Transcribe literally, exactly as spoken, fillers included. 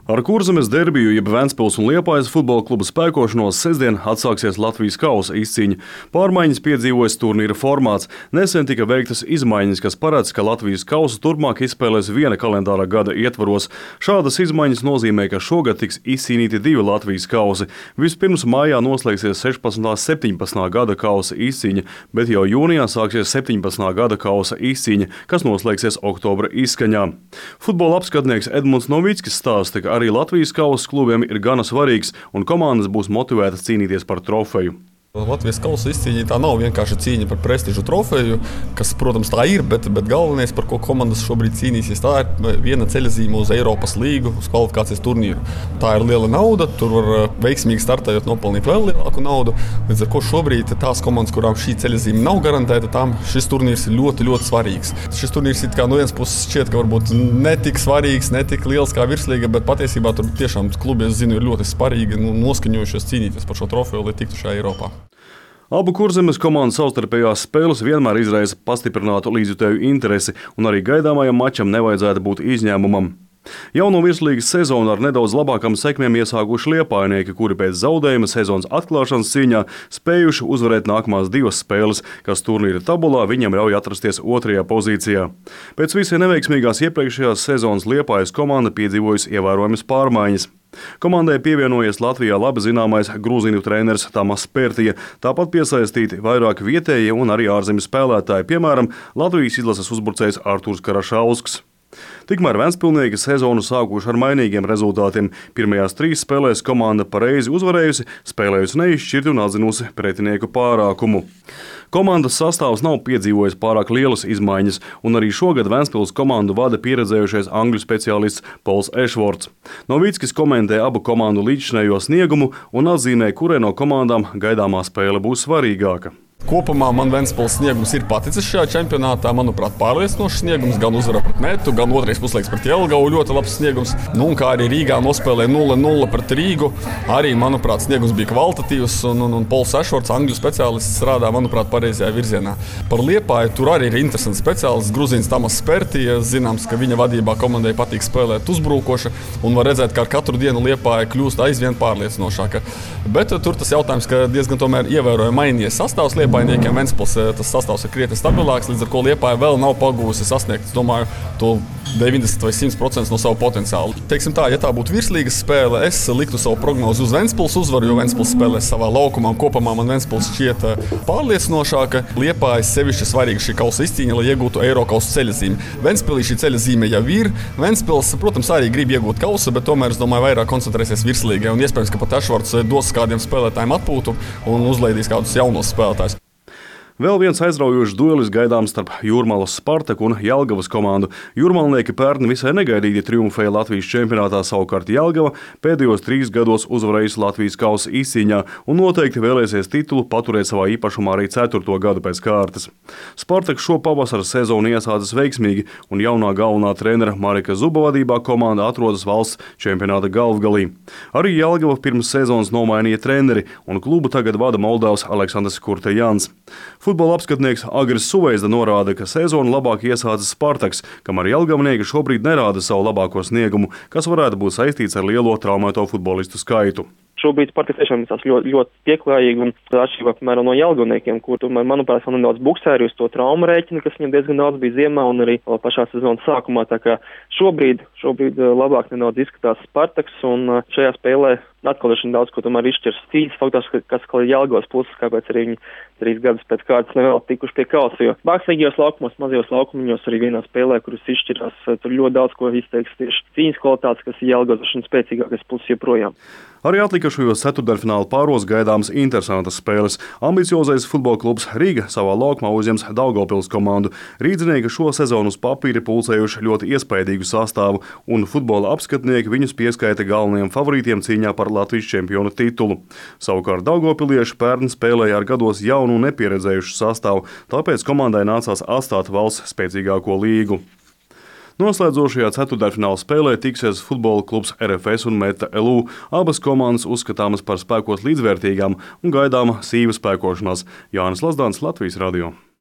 Ar Kurzemes derbiju, jeb Ventspils un Liepājas futbola kluba spēkošanos sestdien atsāksies Latvijas kausa izcīņa. Pārmaiņas piedzīvojas turnīra formāts. Nesen tika veiktas izmaiņas, kas paredz, ka Latvijas kausa turpmāk izspēlēs viena kalendāra gada ietvaros. Šādas izmaiņas nozīmē, ka šogad tiks izcīnīti divi Latvijas kausi. Vispirms mājā noslēgsies sešpadsmitā septiņpadsmitā gada kausa izcīņa, bet jau jūnijā sāksies septiņpadsmitā gada kausa izcīņa, kas noslēgsies oktobra izskaņā. Futbola apskatnieks Edmunds Novickis stāsta, ka arī Latvijas kausa klubiem ir gana svarīgs un komandas būs motivētas cīnīties par trofeju. Latvijas kausa izcīņa tā nav vienkārši cīņa par prestižu trofeju, kas, protams, tā ir, bet, bet galvenais, par ko komandas šobrīd cīnīsies, tā ir viena ceļazīme uz Eiropas līgu, uz kvalifikācijas turnīru. Tā ir liela nauda, tur var veiksmīgi startējot nopelnīt vēl lielāku naudu, līdz ar ko šobrīd tās komandas, kurām šī ceļazīme nav garantēta, tām šis turnīrs ir ļoti, ļoti svarīgs. Šis turnīrs it kā no vienas puses šķiet, ka varbūt netik svarīgs, netik liels kā virslīga, bet patiesībā tur tiešām klubi, es zinu, ir ļoti svarīgi nu, noskaņojušies cīnīties par šo trofeju, lai tiktu šajā Eiropā. Abu Kurzemes komandu savstarpējās spēles vienmēr izraisa pastiprinātu līdzjutēju interesi, un arī gaidāmajam mačam nevajadzētu būt izņēmumam. Jauno virslīgas sezonu ar nedaudz labākām sekmēm iesākuši liepājnieki, kuri pēc zaudējuma sezonas atklāšanas cīņā spējuši uzvarēt nākamās divas spēles, kas turnīra tabulā viņam ļauj atrasties otrajā pozīcijā. Pēc visai neveiksmīgās iepriekšējās sezonas Liepājas komanda piedzīvojusi ievērojamas pārmaiņas. Komandai pievienojies Latvijā labi zināmais grūzīnu treneris Tamas Pērtija, tāpat piesaistīti vairāki vietējie un arī ārzemju spēlētāji, piemēram, Latvijas izlases uzbrucējs Artūrs Karašausks. Tikmēr ventspilnieki sezonu sākuši ar mainīgiem rezultātiem. Pirmajās trīs spēlēs komanda pareizi uzvarējusi, spēlējusi neizšķirti un atzinusi pretinieku pārākumu. Komandas sastāvs nav piedzīvojis pārāk lielas izmaiņas, un arī šogad Ventspils komandu vada pieredzējušais angļu speciālists Pols Ešvorts. Novickis komentē abu komandu līdzšinējo sniegumu un atzīmē, kurai no komandām gaidāmā spēle būs svarīgāka. Kopumā man Ventspils sniegums ir paticis šajā čempionātā. Manuprāt, pārliecinošs sniegums, gan uzvara pret Metu, gan otrais puslaiks pret Jelgavu ļoti labs sniegums. Nu, un kā arī Rīgā nospēlēja nulle nulle pret Rīgu, arī, manuprāt, sniegums bija kvalitatīvs, un, un, un Pols Ešvorts, angļu speciālists, strādā, manuprāt, pareizajā virzienā. Par Liepāju tur arī ir interesants speciālists, gruzīns Tamas Pērtija. Zināms, ka viņa vadībā komandai patīk spēlēt uzbrukoša, un var redzēt, ka ar katru dienu Liepāja kļūst aizvien pārliecinošāka. Bet tur tas jautājums, ka diezgan tomēr ievērojami mainījies sastāvs Liepāja. Ventspils tas sastāvs ir krietni stabilāks, līdz ar ko Liepāja vēl nav pagūsi sasniegt, es domāju, to deviņdesmit vai simt procenti no savu potenciālu. Teiksim tā, ja tā būtu virslīgas spēle, es liktu savu prognozi uz Ventspils uzvaru, jo Ventspils spēlē savā laukumā, un kopumā man Ventspils šķiet pārliecinošāka. Liepāja sevišķi svarīga šī kausa izcīņa, lai iegūtu Eirokausa ceļazīmi. Ventspilī šī ceļazīme jau ir. Ventspils, protams, arī grib iegūt kausa, bet tomēr, es domāju, vairāk koncentrēsies virslīgai, un iespējams, ka pat Ešvorts dos kādiem spēlētājiem atpūtu un uzlaidīs kādus jaunos spēlētājus. Vēl viens aizraujošs duelis gaidāms starp Jūrmalas Spartaku un Jelgavas komandu. Jūrmalnieki pērn visai negaidīti triumfēja Latvijas čempionātā, savukārt Jelgava pēdējos trīs gados uzvarējusi Latvijas kausa izcīņā un noteikti vēlēsies titulu paturēt savā īpašumā arī ceturto gadu pēc kārtas. Spartaks šo pavasara sezonu iesācis veiksmīgi, un jaunā galvenā trenera Marika Zuba vadībā komanda atrodas valsts čempionāta galvgalī. Arī Jelgava pirms sezonas nomainīja treneri, un klubu tagad vada Moldavs Aleksandrs Kurtejans. Futbola apskatnieks Agris Suveizda norāda, ka sezonu labāk iesācis Spartaks, kamēr jelgavnieki šobrīd nerāda savu labāko sniegumu, kas varētu būt saistīts ar lielo traumēto futbolistu skaitu. Šobrīd Spartaks tiešām ir ļoti, ļoti pieklājīgi un atšķirībā, piemēram, no jelgavniekiem, kur, manuprāt, vēl nedaudz buksēri uz to traumu rēķinu, kas viņam diezgan daudz bija ziemā un arī pašā sezonas sākumā. Tā kā šobrīd, šobrīd labāk nedaudz izskatās Spartaks, un šajā spēlē atkal ir daudz, ko tomēr izšķirs cīņas faktors, kas kā Jelgavas puses, kāpēc arī viņi trīs gadus pēc kārtas nevēl tikuši pie kausa, jo mākslīgajos laukumos, mazajos laukumiņos arī vienā spēlē, kuras izšķirās, tur ļoti daudz ko izteiks tieši cīņas kvalitātes, kas ir Jelgavas un spēcīgākais puses joprojām. Arī atlikušajos ceturtdaļfināla pāros gaidāmas interesantas spēles. Ambiciozais futbola klubs Rīga savā laukumā uzņems Daugavpils komandu. Rīdzinieki šo sezonu uz papīra pulcējuši ļoti iespaidīgu sastāvu, un futbola apskatnieki viņus pieskaita galvenajiem favorītiem cīņā par Latvijas čempionu titulu. Savukārt daugavpilieši pērn spēlēja ar gados jaunu un nepieredzējušu sastāvu, tāpēc komandai nācās atstāt valsts spēcīgāko līgu. Noslēdzošajā ceturtdaļfināla spēlē tiksies futbola klubs R F S un Meta L U. Abas komandas uzskatāmas par spēkos līdzvērtīgām un gaidāma sīva spēkošanās. Jānis Lazdāns, Latvijas radio.